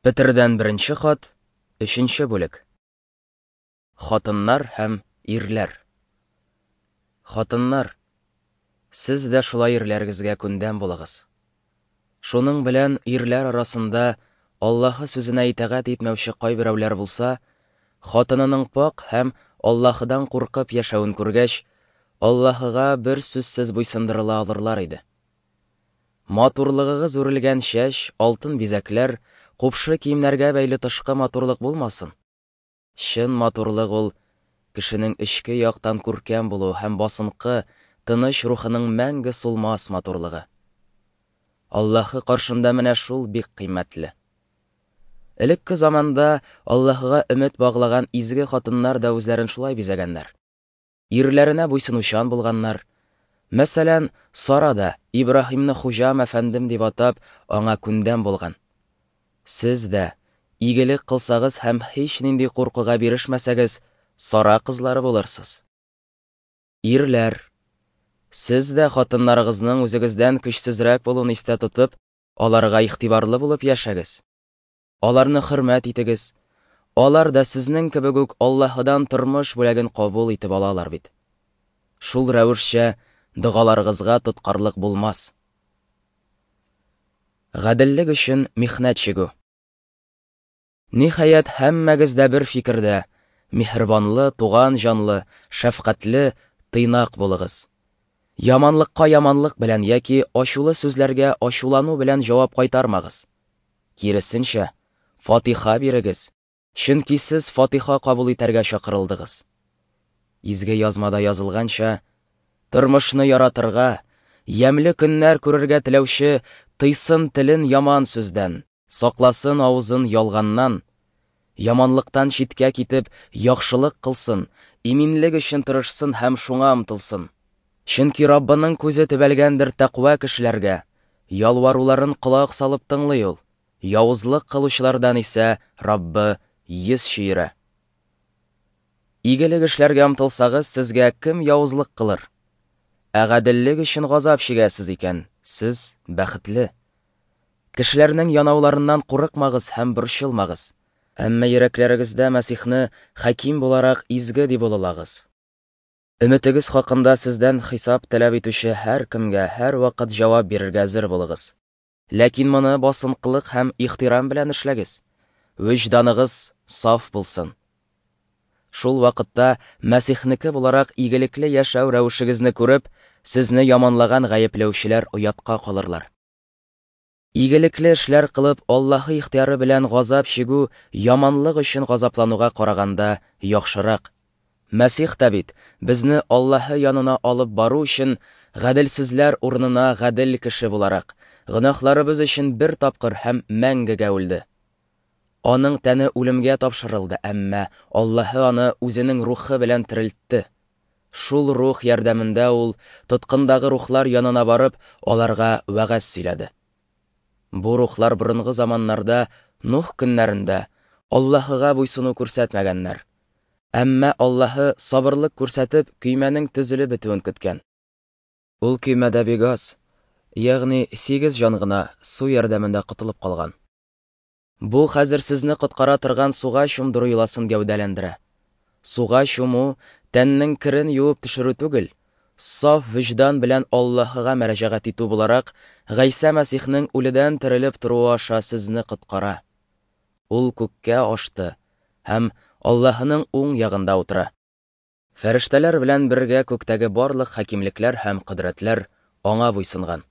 Петердән беренче хат, өченче бүлек. Хатыннар һәм ирләр. Хатыннар, сез дә шулай ирләрегезгә күндәм булыгыз. Шуның белән ирләр арасында Аллаһы сүзенә итагать итмәүче кайберәүләр булса, хатынының пакь һәм Аллаһыдан куркып яшәвен күргәч, Аллаһыга бер сүзсез буйсындырыла алырлар иде. Матурлыгыгыз үрелгән чәч, алтын бизәкләр, купшы киемнәргә бәйле тышкы матурлык булмасын. Чын матурлык ул кешенең эчке яктан күркәм булуы һәм басынкы, тыныч рухының мәңге сулмас матурлыгы. Аллаһы каршында менә шул бик кыйммәтле. Элекке заманда Аллаһыга өмет баглаган изге хатыннар да үзләрен шулай бизәгәннәр. Ирләренә буйсынучан булганнар. Мәсәлән, Сара да Ибраһимны хуҗам әфәндем дип атап, аңа күндәм булган. Сез дә, игелек кылсагыз һәм һичнинди куркуга бирешмәсәгез, Сара кызлары булырсыз. Ирләр, сез дә хатыннарыгызның үзегездән көчсезрәк булуын истә тотып, аларга игътибарлы булып яшәгез. Аларны хөрмәт итегез. Алар да сезнең кебек үк Аллаһыдан тормыш бүләген кабул итеп алалар бит. Шул рәвешчә догаларыгызга тоткарлык булмас. Гаделлек өчен михнәт чигү. Ниһаять, һәммәгез дә бер фикердә, миһербанлы, туган җанлы, шәфкатьле, тыйнак булыгыз. Яманлыкка яманлык белән яки ачулы сүзләргә ачулану белән җавап кайтармагыз. Киресенчә, фатиха бирегез, чөнки сез фатиха кабул итәргә чакырылдыгыз. Изге язмада язылганча, тормышны яратырга, ямьле көннәр күрергә теләүче тыйсын телен яман сүздән, сакласын авызын ялганнан, яманлыктан читкә китеп, яхшылык кылсын, иминлек өчен тырышсын һәм шуңа омтылсын. Чөнки Раббының күзе төбәлгәндер тәкъва кешеләргә, ялваруларын колак салып тыңлый ул, явызлык кылучылардан исә Раббы йөз чөерә. Игелек эшләргә омтылсагыз, сезгә кем явызлык кылыр? Ә гаделлек өчен газап чигәсез икән, сез бәхетле. Кешеләрнең янауларыннан курыкмагыз һәм борчылмагыз. Әмма йөрәкләрегездә Мәсихне хаким буларак изге дип олылагыз. Өметегез хакында сездән хисап таләп итүче һәркемгә һәрвакыт җавап бирергә әзер булыгыз. Ләкин моны басынкылык һәм ихтирам белән эшләгез. Вөҗданыгыз саф булсын. Шул вакытта Мәсихнеке буларак игелекле яшәү рәвешегезне күреп, сезне яманлаган гаепләүчеләр оятка калырлар. Игелекле эшләр кылып, Аллаһы ихтыяры белән газап чигү яманлык өчен газаплануга караганда яхшырак. Мәсих тә бит, безне Аллаһы янына алып бару өчен, гаделсезләр урынына гадел кеше буларак, гөнаһларыбыз өчен бер тапкыр һәм мәңгегә үлде. Аның тәне үлемгә тапшырылды, әмма Аллаһы аны үзенең рухы белән терелтте. Шул рух ярдәмендә ул, тоткындагы рухлар янына барып, аларга вәгазь сөйләде. Бу рухлар борынгы заманнарда, Нух көннәрендә, Аллаһыга буйсыну күрсәтмәгәннәр. Әмма Аллаһы, сабырлык күрсәтеп, көймәнең төзелеп бетүен көткән. Ул көймәдә бик аз, ягъни сигез җан гына су ярдәмендә котылып калган. Бу хәзер сезне коткара торган суга чумдыру йоласын гәүдәләндерә. Суга чуму, тәннең керен юып төшерү түгел, саф вөҗдан белән Аллаһыга мөрәҗәгать итү буларак, Гайсә Мәсихнең үледән терелеп торуы аша сезне коткара. Ул күккә ашты һәм Аллаһының уң ягында утыра. Фәрештәләр белән бергә күктәге барлык хакимлекләр һәм кодрәтләр аңа буйсынган.